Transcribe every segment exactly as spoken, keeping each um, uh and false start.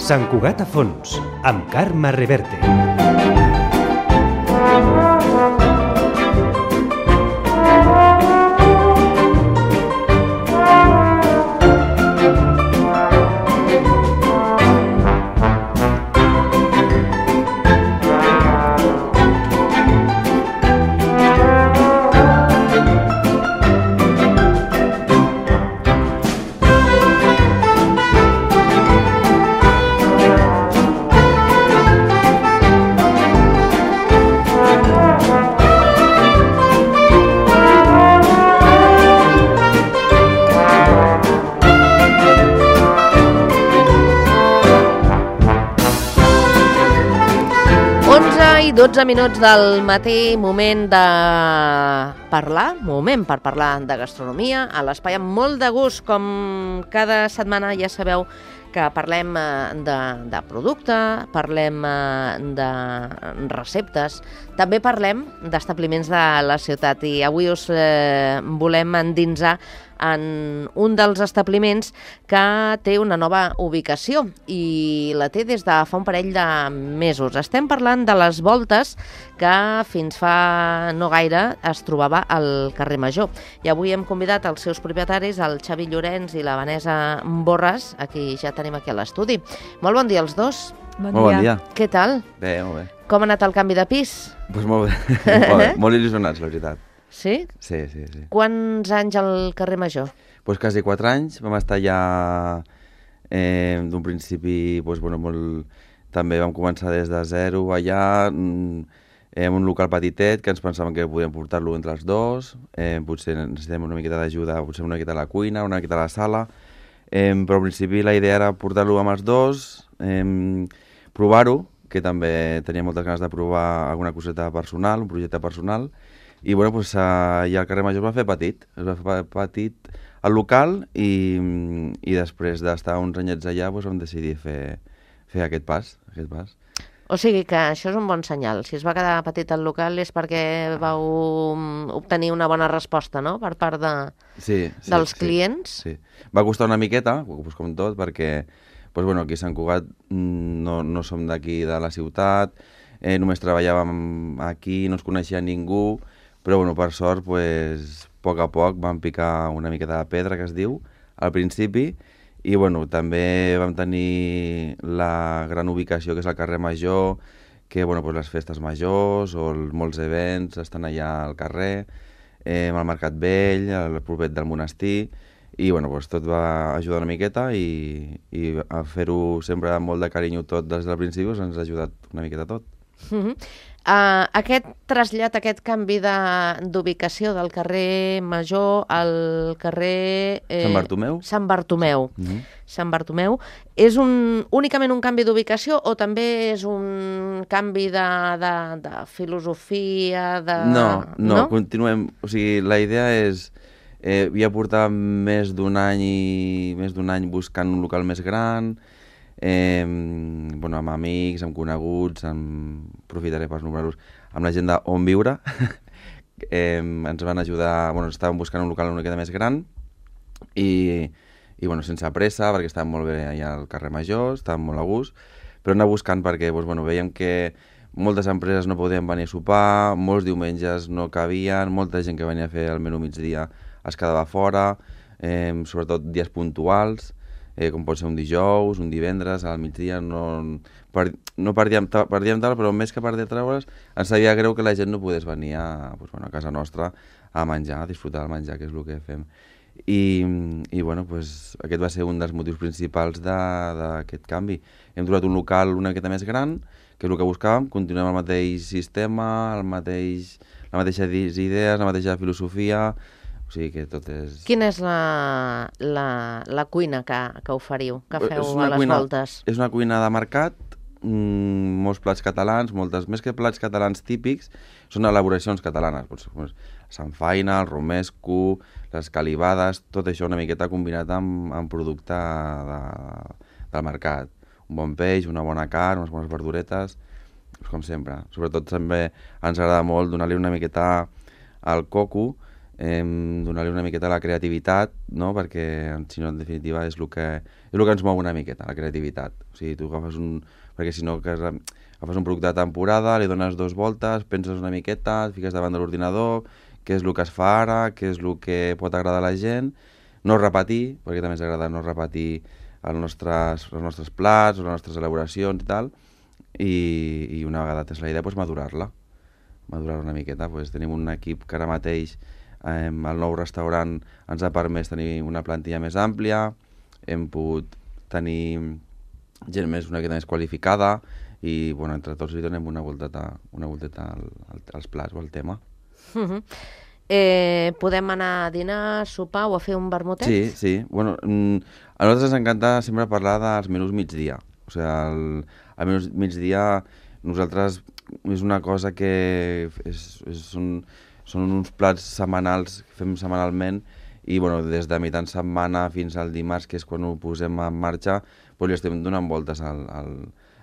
Sant Cugat a fons, amb Carme Reverte. dotze minuts del matí, moment de parlar, moment per parlar de gastronomia, a l'espai amb molt de gust, com cada setmana ja sabeu que parlem de, de producte, parlem de receptes, també parlem d'establiments de la ciutat i avui us eh, volem endinsar en un dels establiments que té una nova ubicació i la té des de fa un parell de mesos. Estem parlant de les Voltes, que fins fa no gaire es trobava al carrer Major. I avui hem convidat els seus propietaris, el Xavi Llorenç i la Vanessa Borràs, a qui ja tenim aquí a l'estudi. Molt bon dia als dos. Bon molt dia. bon dia. Què tal? Bé, molt bé. Com ha anat el canvi de pis? Pues molt bé, molt, bé. molt il·lusionats, la veritat. Sí? Sí, sí, sí. Quants anys al carrer Major? Pues quasi quatre anys, vam estar allà eh, d'un principi, pues, bueno, molt... també vam començar des de zero allà, eh, en un local petitet, que ens pensàvem que podíem portar-lo entre els dos, eh, potser necessitem una miqueta d'ajuda, potser una miqueta a la cuina, una miqueta a la sala, eh, però al principi la idea era portar-lo amb els dos, eh, provar-ho, que també tenia moltes ganes de provar alguna coseta personal, un projecte personal, i bueno, pues, allà al carrer Major es va fer petit, es va fer petit al local i, i després d'estar uns anyets allà pues, vam decidir fer, fer aquest pas, aquest pas. O sigui que això és un bon senyal. Si es va quedar petit el local és perquè vau obtenir una bona resposta, no?, per part de, sí, sí, dels sí, clients. Sí. Va costar una miqueta, pues, com tot, perquè pues, bueno, aquí a Sant Cugat no, no som d'aquí de la ciutat, eh, només treballàvem aquí, no ens coneixia ningú, però bueno, per sort, pues, a poc a poc vam picar una miqueta de pedra, que es diu, al principi, i bueno, també vam tenir la gran ubicació que és el carrer Major, que bueno, pues, les festes majors o els, molts events estan allà al carrer, eh, al Mercat Vell, al propet del monestir, i bueno, pues, tot va ajudar una miqueta i, i a fer-ho sempre amb molt de carinyo tot des del principi pues, ens ha ajudat una miqueta tot. Mm-hmm. Uh, aquest trasllat, aquest canvi d'ubicació de, del carrer Major al carrer... Eh, Sant Bartomeu. Sant Bartomeu. Mm-hmm. Sant Bartomeu. És un, únicament un canvi d'ubicació o també és un canvi de, de, de filosofia? De... No, no, no, continuem. O sigui, la idea és... Eh, ja portar més d'un any i més d'un any buscant un local més gran, eh, bueno, amb amics, amb coneguts, amb... aprofitaré per nombrar-los, amb la gent d'On Viure, eh, ens van ajudar, bueno, estàvem buscant un local una miqueta més gran i, i bueno, sense pressa, perquè estàvem molt bé allà al carrer Major, estàvem molt a gust, però anar buscant perquè doncs, bueno, veiem que moltes empreses no podien venir a sopar, molts diumenges no cabien, molta gent que venia a fer el menú migdia es quedava fora, eh, sobretot dies puntuals, eh, com pot ser un dijous, un divendres, al migdia, no, per, no perdíem, perdíem tal, però més que per treure's, ens sabia greu que la gent no pogués venir a, pues, bueno, a casa nostra a menjar, a disfrutar del menjar, que és el que fem. I, i bueno, pues, aquest va ser un dels motius principals d'aquest canvi. Hem trobat un local una miqueta més gran, que és el que buscàvem, continuem el mateix sistema, el mateix, la mateixa idees, la mateixa filosofia. O sigui que tot és... Quina és la, la, la cuina que, que oferiu, que feu a les cuina, Voltes? És una cuina de mercat, mmm, molts plats catalans, moltes, més que plats catalans típics, són elaboracions catalanes. Doncs, samfaina, el romesco, les calibades, tot això una miqueta combinat amb, amb producte de, del mercat. Un bon peix, una bona carn, unes bones verduretes, com sempre. Sobretot també ens agrada molt donar-li una miqueta al coco, eh, donar-li una miqueta la creativitat, no? Perquè, si no, en definitiva, és el que, és el que ens mou una miqueta, la creativitat. O sigui, tu agafes un... Perquè si no, que agafes un producte de temporada, li dones dos voltes, penses una miqueta, et fiques davant de l'ordinador, què és el que es fa ara, què és el que pot agradar a la gent, no repetir, perquè també ens agrada no repetir els nostres, els nostres plats, les nostres elaboracions i tal, i, i una vegada tens la idea, doncs madurar-la, madurar una miqueta. Pues tenim un equip que ara mateix eh, el nou restaurant ens ha permès tenir una plantilla més àmplia, hem pogut tenir gent més una miqueta més qualificada i bueno, entre tots li donem una volteta, una volteta al, al, als plats o al tema. Uh-huh. Eh, podem anar a dinar, sopar o a fer un vermutet? Sí, sí. Bueno, a nosaltres ens encanta sempre parlar dels menús migdia. O sigui, el, el menú migdia nosaltres és una cosa que és, és un, són uns plats setmanals que fem setmanalment i bueno, des de mitjan setmana fins al dimarts, que és quan ho posem en marxa, doncs li estem donant voltes al, al,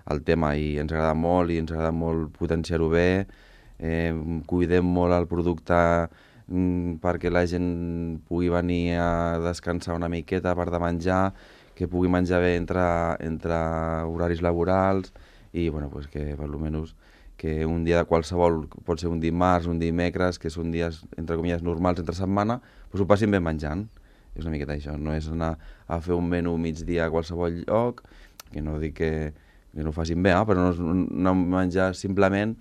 al tema i ens agrada molt i ens agrada molt potenciar-ho bé, eh, cuidem molt el producte mm, perquè la gent pugui venir a descansar una miqueta per de menjar, que pugui menjar bé entre, entre horaris laborals i bueno, pues que per almenys que un dia de qualsevol, pot ser un dimarts, un dimecres, que són dies, entre comilles, normals entre setmana, doncs ho passin bé menjant. És una miqueta això, no és anar a fer un menú migdia a qualsevol lloc, que no dic que, que no ho facin bé, eh? Però no és anar a menjar simplement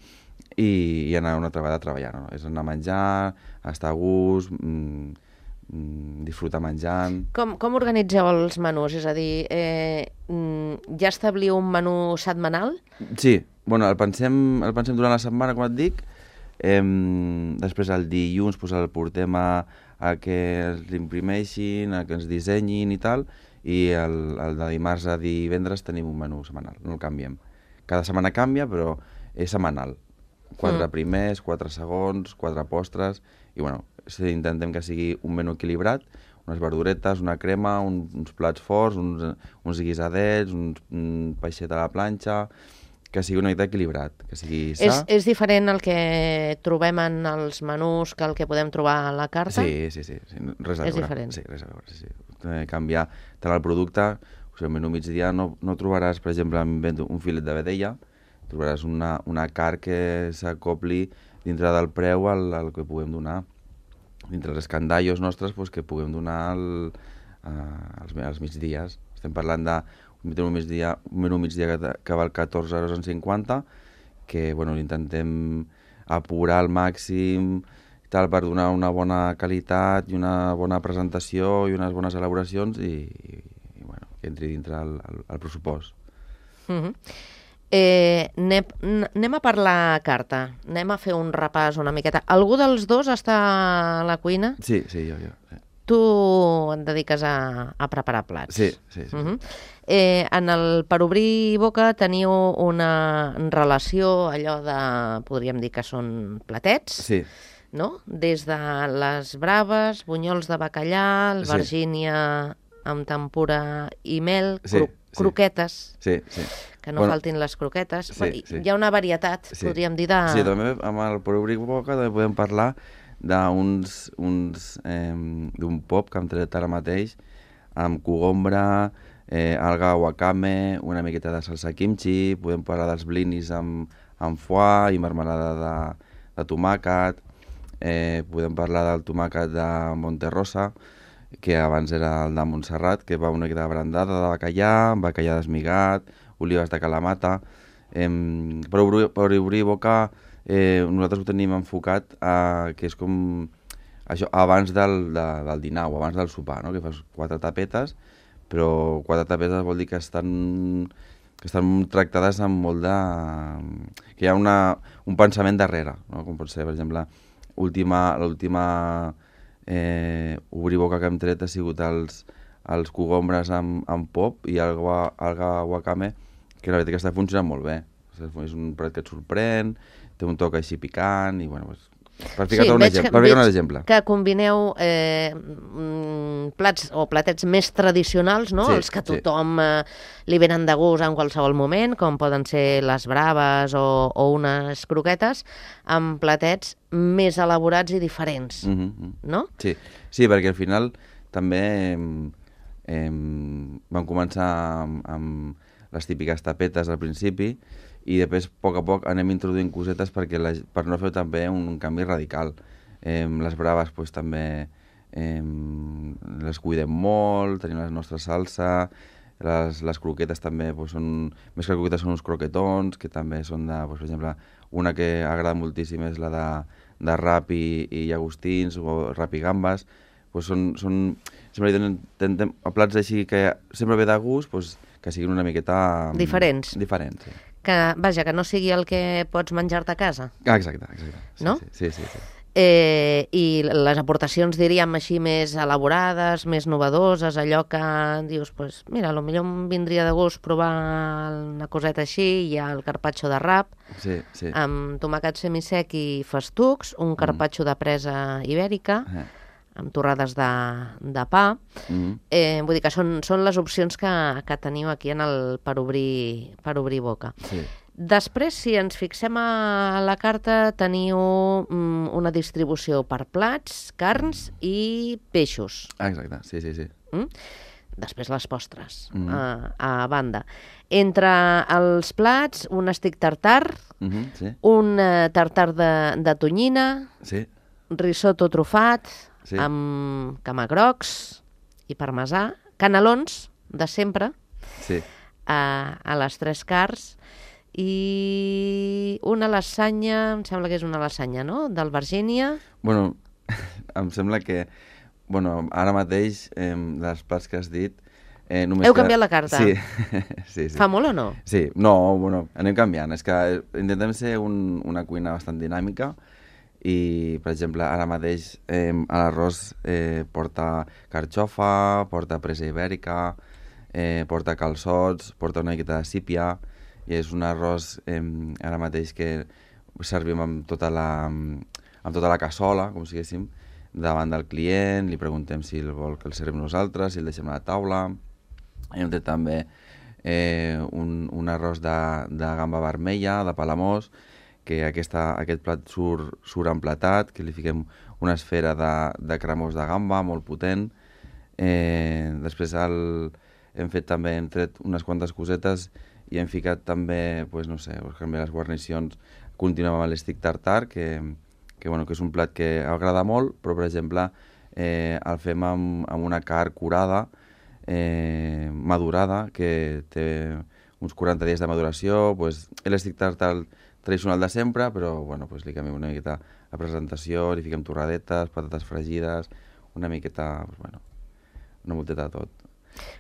i, i anar una altra vegada a treballar, no? És anar a menjar, estar a gust, mmm, disfrutar menjant. Com, com organitzeu els menús? És a dir, eh, ja establiu un menú setmanal? Sí, bueno, el pensem, el pensem durant la setmana, com et dic, eh, després el dilluns pues, el portem a, a que l'imprimeixin, a que ens dissenyin i tal, i el, el de dimarts a divendres tenim un menú setmanal, no el canviem. Cada setmana canvia, però és setmanal. Quatre mm. primers, quatre segons, quatre postres, i bueno, intentem que sigui un menú equilibrat, unes verduretes, una crema, un, uns plats forts, uns, uns guisadets, uns, un peixet a la planxa, que sigui una mica equilibrat, que sigui sa. És, és diferent el que trobem en els menús que el que podem trobar a la carta? Sí, sí, sí, sí. Res a és veure. diferent? Sí, res a veure, sí, sí. Eh, canviar tant el producte, o sigui, el menú migdia no, no trobaràs, per exemple, un filet de vedella, trobaràs una, una carn que s'acopli dintre del preu al, al que puguem donar. Dintre els escandallos nostres pues, que puguem donar el, uh, als, als migdies. Estem parlant de un menú migdia, un menú migdia que, que val catorze euros cinquanta, que bueno, intentem apurar al màxim tal, per donar una bona qualitat i una bona presentació i unes bones elaboracions i, i, i bueno, que entri dintre el, el, el pressupost. Mm-hmm. Eh, anem, anem a parlar carta, anem a fer un repàs una miqueta. Algú dels dos està a la cuina? Sí, sí, jo, jo. Sí. Tu et dediques a, a preparar plats. Sí, sí, sí. Uh-huh. eh, en el Per obrir boca teniu una relació, allò de, podríem dir que són platets, sí. No? Des de les braves, bunyols de bacallà, albergínia sí. amb tempura i mel, sí, cro sí. croquetes. Sí, sí. Que no bueno, faltin les croquetes. Sí, sí. Hi ha una varietat, sí. podríem dir, de... Sí, també amb el Per obrir boca també podem parlar d'uns uns, eh, d'un pop que hem tret ara mateix amb cogombra, eh, alga wakame, una miqueta de salsa kimchi, podem parlar dels blinis amb, amb foie i marmelada de, de tomàquet, eh, podem parlar del tomàquet de Monterrosa, que abans era el de Montserrat, que va una miqueta de brandada de bacallà, bacallà desmigat, olives de calamata. Eh, per, obrir, per obrir boca, eh, nosaltres ho tenim enfocat a, que és com això, abans del, de, del dinar o abans del sopar, no? Que fas quatre tapetes, però quatre tapetes vol dir que estan, que estan tractades amb molt de... que hi ha una, un pensament darrere, no? Com pot ser, per exemple, l'última eh, obrir boca que hem tret ha sigut els, els cogombres amb, amb pop i alga, alga wakame, que la veritat que està funcionant molt bé. És un plat que et sorprèn, té un toc així picant i bueno, pues, Per ficar-te un, exemple, per ficar un exemple. Que combineu eh, plats o platets més tradicionals, no? Sí, Els que a tothom sí. eh, li venen de gust en qualsevol moment, com poden ser les braves o, o unes croquetes, amb platets més elaborats i diferents, mm -hmm. no? Sí. sí, perquè al final també eh, vam començar amb, amb les típiques tapetes al principi, i després, a poc a poc, anem introduint cosetes perquè la, per no fer també un, un canvi radical. Eh, les braves pues, també eh, les cuidem molt, tenim la nostra salsa, les, les croquetes també, pues, són, més que croquetes són uns croquetons, que també són de, pues, per exemple, una que agrada moltíssim és la de, de rap i, i llagostins, o rap i gambes, pues, són, són, sempre tenen, tenen, plats així que sempre ve de gust, pues, que siguin una miqueta... Diferents. Diferents, sí. Que, vaja, que no sigui el que pots menjar-te a casa. Ah, exacte, exacte. Sí, no? Sí, sí, sí. sí. Eh, I les aportacions, diríem així, més elaborades, més novedoses, allò que dius, pues, mira, potser em vindria de gust provar una coseta així, hi ha el carpaccio de rap, sí, sí. amb tomàquet semisec i festucs, un carpaccio mm. de presa ibèrica, eh. amb torrades de, de pa. Mm. Eh, vull dir que són, són les opcions que, que teniu aquí en el per obrir, per obrir boca. Sí. Després, si ens fixem a la carta, teniu mm, una distribució per plats, carns i peixos. Ah, exacte, sí, sí, sí. Mm? Després les postres, mm. a, a banda. Entre els plats, un estic tartar, mm-hmm, sí. un uh, tartar de, de tonyina, sí. risotto trufat, sí. amb camagrocs i parmesà, canelons de sempre, sí. a, a les tres carns, i una lasanya, em sembla que és una lasanya, no?, d'albergínia. Bueno, em sembla que, bueno, ara mateix, eh, dels plats que has dit... Eh, només Heu que... canviat la carta? Sí. sí, sí. Fa molt o no? Sí, no, bueno, anem canviant. És que intentem ser un, una cuina bastant dinàmica i, per exemple, ara mateix eh, l'arròs eh, porta carxofa, porta presa ibèrica, eh, porta calçots, porta una miqueta de sípia, i és un arròs eh, ara mateix que servim amb tota la, amb tota la cassola, com si diguéssim, davant del client, li preguntem si el vol que el servim nosaltres, si el deixem a la taula. Hem fet també eh, un, un arròs de, de gamba vermella, de Palamós, que aquesta, aquest plat surt, surt emplatat, que li fiquem una esfera de, de cremós de gamba molt potent. Eh, després el, hem fet també, hem tret unes quantes cosetes i hem ficat també, pues, no sé, les guarnicions, continuem amb l'estic tartar, que, que, bueno, que és un plat que agrada molt, però, per exemple, eh, el fem amb, amb una carn curada, eh, madurada, que té uns quaranta dies de maduració, pues, l'estic tartar tradicional de sempre, però, bueno, pues, li canviem una miqueta la presentació, li fiquem torradetes, patates fregides, una miqueta, pues, bueno, una multeta de tot.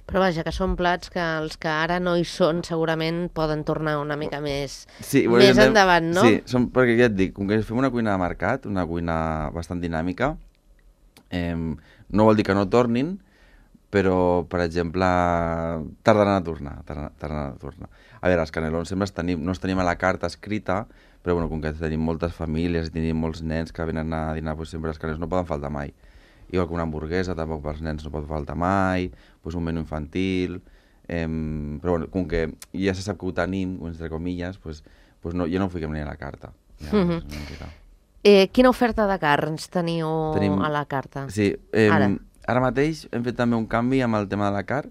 Però vaja, que són plats que els que ara no hi són segurament poden tornar una mica més, sí, bueno, més anem, endavant, no? Sí, són, perquè ja et dic, com que fem una cuina de mercat, una cuina bastant dinàmica, eh, no vol dir que no tornin, però, per exemple, tardaran a tornar, tardaran, tardaran a tornar. A veure, els canelons sempre els tenim, no els tenim a la carta escrita, però bueno, com que tenim moltes famílies i tenim molts nens que venen a dinar, doncs sempre els canelons no poden faltar mai. Igual que una hamburguesa, tampoc pels nens no pot faltar mai, doncs un menú infantil, eh, però bueno, com que ja se sap que ho tenim, entre comilles, doncs, doncs no, ja no ho fiquem ni a la carta. Ja, mm -hmm. eh, quina oferta de carns teniu tenim, a la carta? Sí, eh, ara. ara mateix hem fet també un canvi amb el tema de la carn,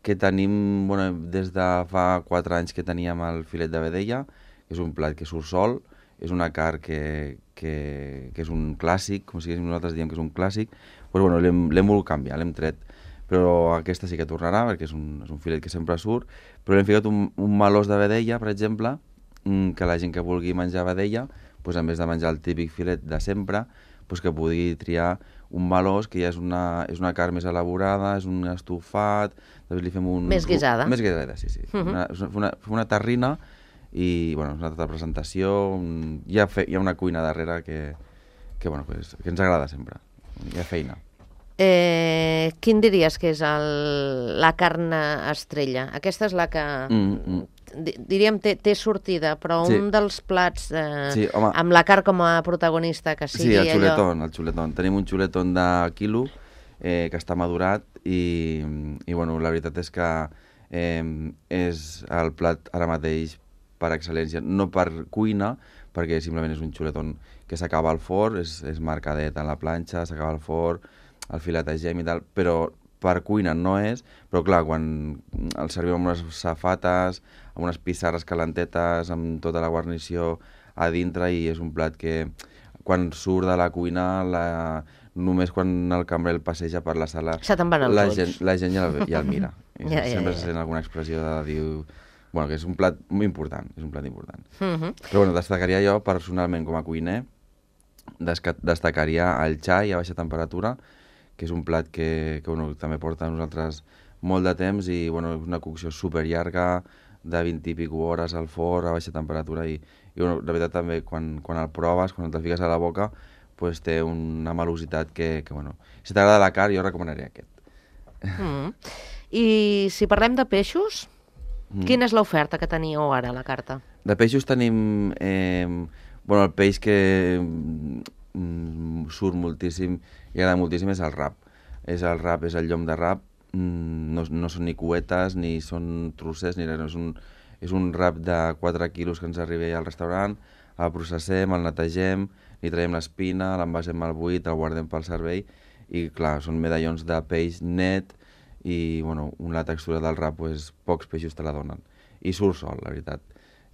que tenim, bueno, des de fa quatre anys que teníem el filet de vedella, que és un plat que surt sol, és una carn que, que, que és un clàssic, com si nosaltres diem que és un clàssic, doncs bueno, l'hem volgut canviar, l'hem tret, però aquesta sí que tornarà, perquè és un, és un filet que sempre surt, però l'hem ficat un, un melós de vedella, per exemple, que la gent que vulgui menjar vedella, doncs en vez de menjar el típic filet de sempre, doncs que pugui triar un melós, que ja és una, és una carn més elaborada, és un estofat, després li fem un... Més guisada. Més guisada, sí, sí. Uh -huh. una, una, una terrina, i bueno, és una altra presentació, un, hi, ha fe, hi ha una cuina darrere que, que, bueno, que, és, que ens agrada sempre, hi ha feina. Eh, quin diries que és el, la carn estrella? Aquesta és la que mm, mm. di- diríem, té, té sortida, però Sí. un dels plats eh, Sí, home. amb la carn com a protagonista, que sigui Sí, el allò... xuletón, el xuletón. Tenim un xuletón de quilo eh, que està madurat i, i bueno, la veritat és que eh, és el plat ara mateix per excel·lència, no per cuina, perquè simplement és un xuletón que s'acaba al forn, és, és marcadet a la planxa, s'acaba al forn, el filetegem i tal, però per cuina no és, però clar, quan el servim amb unes safates, amb unes pissarres calentetes, amb tota la guarnició a dintre, i és un plat que quan surt de la cuina, la... només quan el cambrer el passeja per la sala, Se te'n van els la ulls. gent, la gent ja el, ja el mira. I Ja, ja, sempre ja. se sent alguna expressió de dir... Bueno, que és un plat molt important, és un plat important. Mhm. Però bueno, destacaria jo, personalment, com a cuiner, desca- destacaria el xai a baixa temperatura, que és un plat que, que bueno, també porta a nosaltres molt de temps i bueno, és una cocció super llarga, de vint i pico hores al forn a baixa temperatura i, i bueno, la veritat també quan, quan el proves, quan te'l fiques a la boca, pues té una malositat que, que bueno, si t'agrada la carn jo recomanaria aquest. Mhm. I si parlem de peixos, Mm. quina és l'oferta que teníeu ara a la carta? De peixos tenim eh, bueno, el peix que mm, surt moltíssim i agrada moltíssim és el rap. És el rap, és el llom de rap, mm, no, no són ni cuetes, ni són trossers, ni res, no, és un, és un rap de quatre quilos que ens arriba al restaurant, el processem, el netegem, li traiem l'espina, l'envasem al buit, el guardem pel servei, i clar, són medallons de peix net, i bueno, la textura del rap, pues, pocs peixos te la donen. I surt sol, la veritat.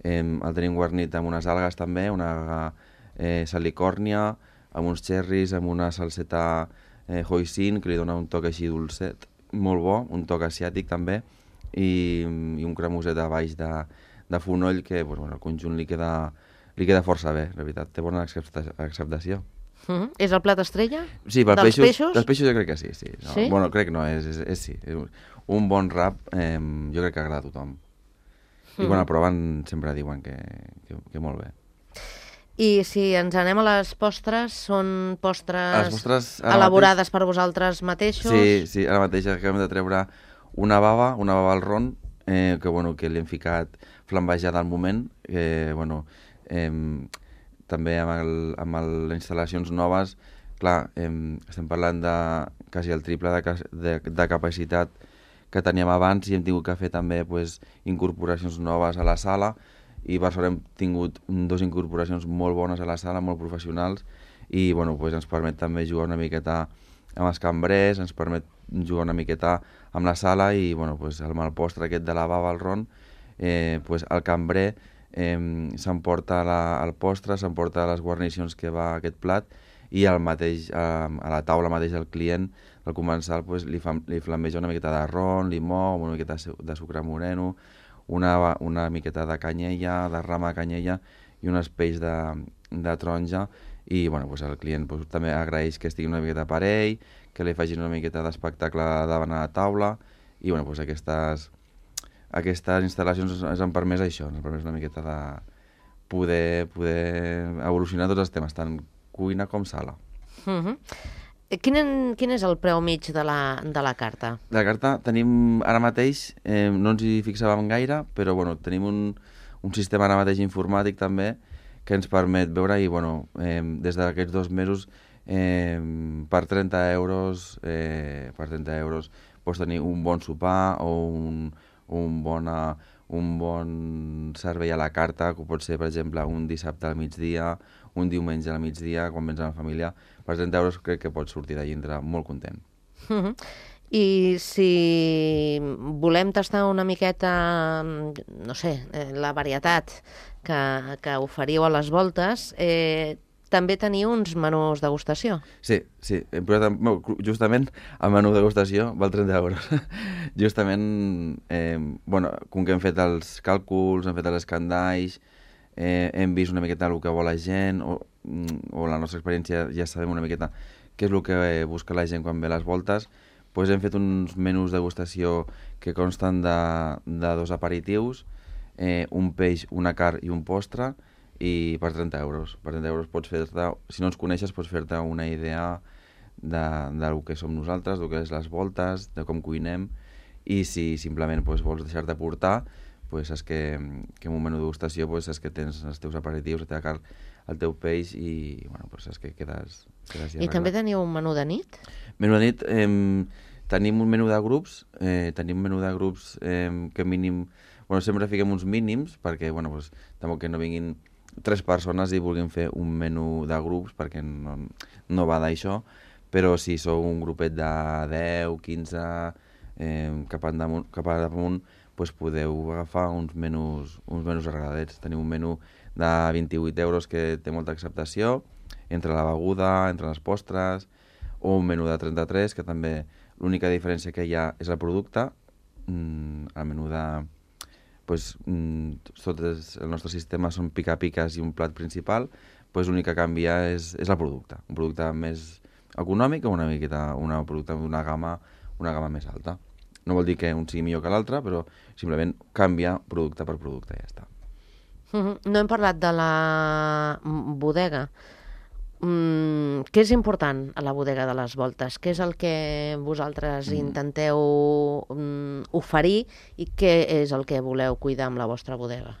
Eh, el tenim guarnit amb unes algues també, una eh, salicòrnia, amb uns cherries, amb una salseta eh, hoisin, que li dona un toc així dolcet, molt bo, un toc asiàtic també, i, i un cremoset a baix de, de fonoll que pues, bueno, el conjunt li queda, li queda força bé, la veritat, té bona accepta acceptació. Mhm. És el plat estrella? Sí, per Dels peixos, peixos? dels peixos jo crec que sí. sí. No, Sí? Bueno, crec no, és, és, és sí. És un, un bon rap eh, jo crec que agrada a tothom. I quan el proven sempre diuen que, que, que molt bé. I si ens anem a les postres, són postres, Les postres ara elaborades per vosaltres mateixos? Sí, sí, ara mateix acabem de treure una bava, una bava al ron, eh, que, bueno, que li hem ficat flambejada al moment, que, bueno, eh, també amb, el, amb el, les instal·lacions noves, clar, eh, estem parlant de quasi el triple de, de, de capacitat que teníem abans i hem tingut que fer també pues, incorporacions noves a la sala i per sort hem tingut dues incorporacions molt bones a la sala, molt professionals i bueno, pues, ens permet també jugar una miqueta amb els cambrers, ens permet jugar una miqueta amb la sala i bueno, pues, amb el postre aquest de la bava al ron, eh, pues, el cambrer eh, s'emporta la, el postre, s'emporta les guarnicions que va a aquest plat i al mateix, a, a la taula mateix del client, al comensal, pues, li, fa, li flambeja una miqueta de ron, limó, una miqueta de sucre moreno, una, una miqueta de canyella, de rama de canyella i un espeix de, de taronja i bueno, pues, el client pues, també agraeix que estigui una miqueta per ell, que li facin una miqueta d'espectacle davant a la taula i bueno, pues, aquestes, aquestes instal·lacions ens han permès això, ens han permès una miqueta de poder, poder evolucionar tots els temes, tant cuina com sala. Uh -huh. quin, en, quin és el preu mig de la, de la carta? De la carta tenim ara mateix, eh, no ens hi fixàvem gaire, però bueno, tenim un, un sistema ara mateix informàtic també que ens permet veure i bueno, eh, des d'aquests dos mesos eh, per trenta euros eh, per trenta euros pots tenir un bon sopar o un, un, bona, un bon servei a la carta, que pot ser per exemple un dissabte al migdia, un diumenge al migdia, quan vens amb la família, per trenta euros crec que pots sortir d'allí entre molt content. Uh -huh. I si volem tastar una miqueta, no sé, eh, la varietat que, que oferiu a les voltes, eh, també teniu uns menús degustació. Sí, sí. Hem posat, justament el menú degustació val trenta euros. Justament, eh, bueno, com que hem fet els càlculs, hem fet els escandalls, eh, hem vist una miqueta el que vol la gent, o, o la nostra experiència ja sabem una miqueta què és el que busca la gent quan ve a les voltes, doncs hem fet uns menús degustació que consten de, de dos aperitius, eh, un peix, una carn i un postre, i per trenta euros. Per trenta euros pots fer-te, si no ens coneixes, pots fer-te una idea de, del que som nosaltres, del que és les voltes, de com cuinem, i si simplement doncs, vols deixar-te portar, pues, saps que, que en un menú de degustació pues, saps que tens els teus aperitius, la teva carn, el teu peix i bueno, pues, saps que quedes, quedes ja I també teniu un menú de nit? Menú de nit, eh, tenim un menú de grups, eh, tenim un menú de grups eh, que mínim... Bueno, sempre fiquem uns mínims perquè, bueno, pues, tampoc que no vinguin tres persones i vulguin fer un menú de grups perquè no, no va d'això, però si sou un grupet de deu, quinze, eh, cap, damunt, cap a damunt, pues podeu agafar uns menús, uns menús agradets. Tenim un menú de vint-i-vuit euros que té molta acceptació, entre la beguda, entre les postres, o un menú de trenta-tres, que també l'única diferència que hi ha és el producte. Mm, el menú de... Pues, mm, tot és, el nostre sistema són pica-piques i un plat principal, pues l'únic que canvia és, és el producte. Un producte més econòmic o una miqueta, una producte d'una gamma, una gamma més alta. No vol dir que un sigui millor que l'altre, però simplement canvia producte per producte i ja està. No hem parlat de la bodega. Mm, què és important a la bodega de les Voltes? Què és el que vosaltres mm. intenteu mm, oferir i què és el que voleu cuidar amb la vostra bodega?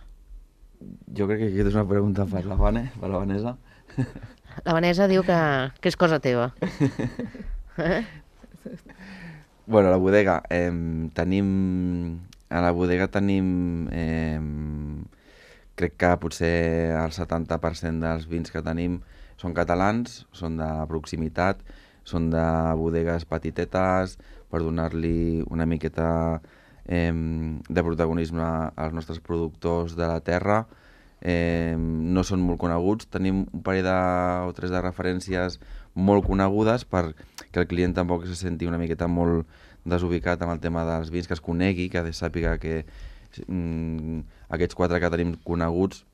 Jo crec que aquesta és una pregunta per la Vane, per la Vanessa. La Vanessa diu que, que és cosa teva. Eh? Bueno, a la bodega eh, tenim... A la bodega tenim... Eh, crec que potser el setanta per cent dels vins que tenim són catalans, són de proximitat, són de bodegues petitetes, per donar-li una miqueta eh, de protagonisme als nostres productors de la terra. Eh, no són molt coneguts, tenim un parell de, o tres de referències molt conegudes perquè el client tampoc se senti una miqueta molt desubicat amb el tema dels vins, que es conegui, que sàpiga que mm, aquests quatre que tenim coneguts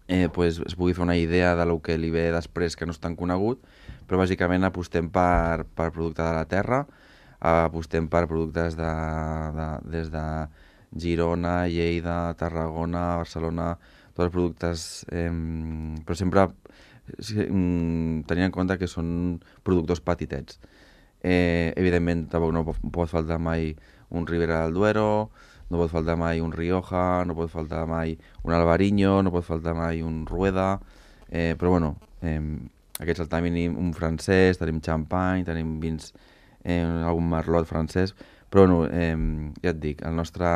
eh, pues, es pugui fer una idea de lo que li ve després que no és tan conegut, però bàsicament apostem per, per producte de la terra, apostem per productes de, de, des de Girona, Lleida, Tarragona, Barcelona, tots els productes, eh, però sempre eh, tenint en compte que són productors petitets. Eh, evidentment, tampoc no pot faltar mai un Ribera del Duero, no pot faltar mai un Rioja, no pot faltar mai un Albariño, no pot faltar mai un Rueda, eh, però bueno, eh, aquests al mínim un francès, tenim champagne, tenim vins, eh, algun merlot francès, però bueno, eh, ja et dic, el nostre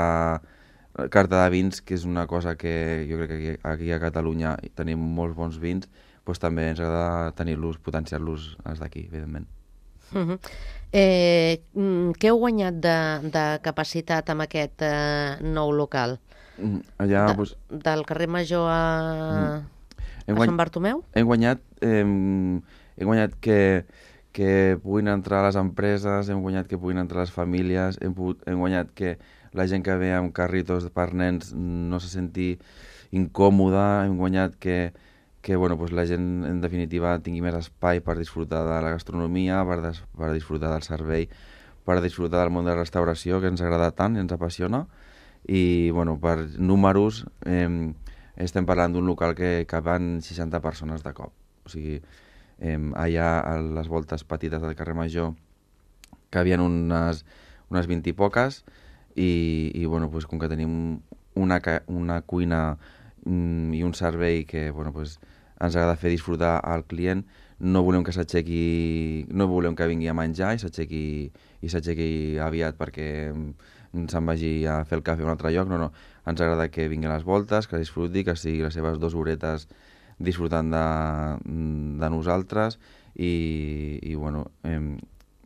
carta de vins, que és una cosa que jo crec que aquí, aquí a Catalunya tenim molts bons vins, doncs també ens agrada tenir-los, potenciar-los els d'aquí, evidentment. Uh-huh. Eh, què heu guanyat de, de capacitat amb aquest eh, nou local? Allà, de, pues... Del carrer Major a, hem a Sant Bartomeu? Hem guanyat, eh, hem guanyat que, que puguin entrar les empreses, hem guanyat que puguin entrar les famílies, hem, pogut, hem guanyat que la gent que ve amb carritos per nens no se senti incòmoda, hem guanyat que que bueno, pues la gent en definitiva tingui més espai per disfrutar de la gastronomia, per, des, per disfrutar del servei, per disfrutar del món de la restauració, que ens agrada tant i ens apassiona. I bueno, per números eh, estem parlant d'un local que caben seixanta persones de cop. O sigui, eh, allà a les voltes petites del carrer Major cabien unes, unes vint i poques i, i bueno, pues, com que tenim una, una cuina mm, i un servei que bueno, pues, ens agrada fer disfrutar al client, no volem que s'aixequi, no volem que vingui a menjar i s'aixequi i s'aixequi aviat perquè se'n vagi a fer el cafè a un altre lloc, no, no, ens agrada que vingui a les voltes, que disfruti, que sigui les seves dues horetes disfrutant de, de nosaltres i, i bueno, eh,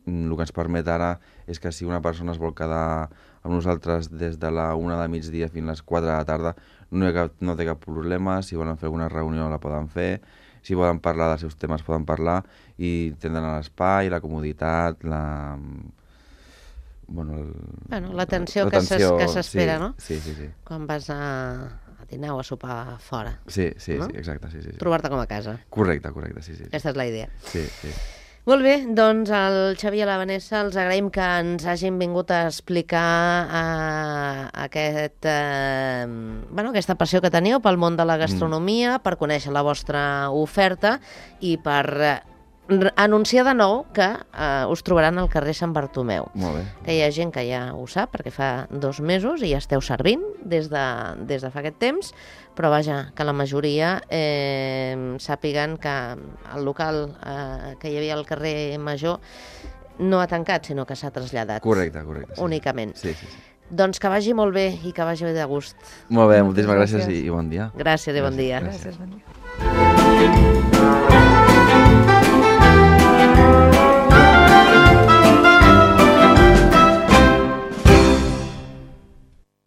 el que ens permet ara és que si una persona es vol quedar amb nosaltres des de la una de migdia fins a les quatre de la tarda, no, hi ha cap, no té cap problema, si volen fer alguna reunió la poden fer, si volen parlar dels seus temes poden parlar i tindran l'espai, la comoditat, la... Bueno, el... bueno, l'atenció que s'espera, sí, no? Sí, sí, sí. Quan vas a, a dinar o a sopar fora. Sí, sí, no? sí, exacte. Sí, sí, sí. Trobar-te com a casa. Correcte, correcte, sí, sí. sí. Aquesta és la idea. Sí, sí. Molt bé, doncs al Xavi i a la Vanessa els agraïm que ens hagin vingut a explicar eh, aquest, eh, bueno, aquesta passió que teniu pel món de la gastronomia, mm. per conèixer la vostra oferta i per eh, anunciar de nou que eh, us trobaran al carrer Sant Bartomeu. Molt bé. Que hi ha gent que ja ho sap, perquè fa dos mesos i ja esteu servint des de, des de fa aquest temps, però vaja, que la majoria eh, sàpiguen que el local eh, que hi havia al carrer Major no ha tancat, sinó que s'ha traslladat. Correcte, correcte. Sí. Únicament. Sí, sí, sí. Doncs que vagi molt bé i que vagi de gust. Molt bé, Moltes moltíssimes gràcies, gràcies. i, i bon dia. Gràcies i bon dia. Gràcies, bon dia.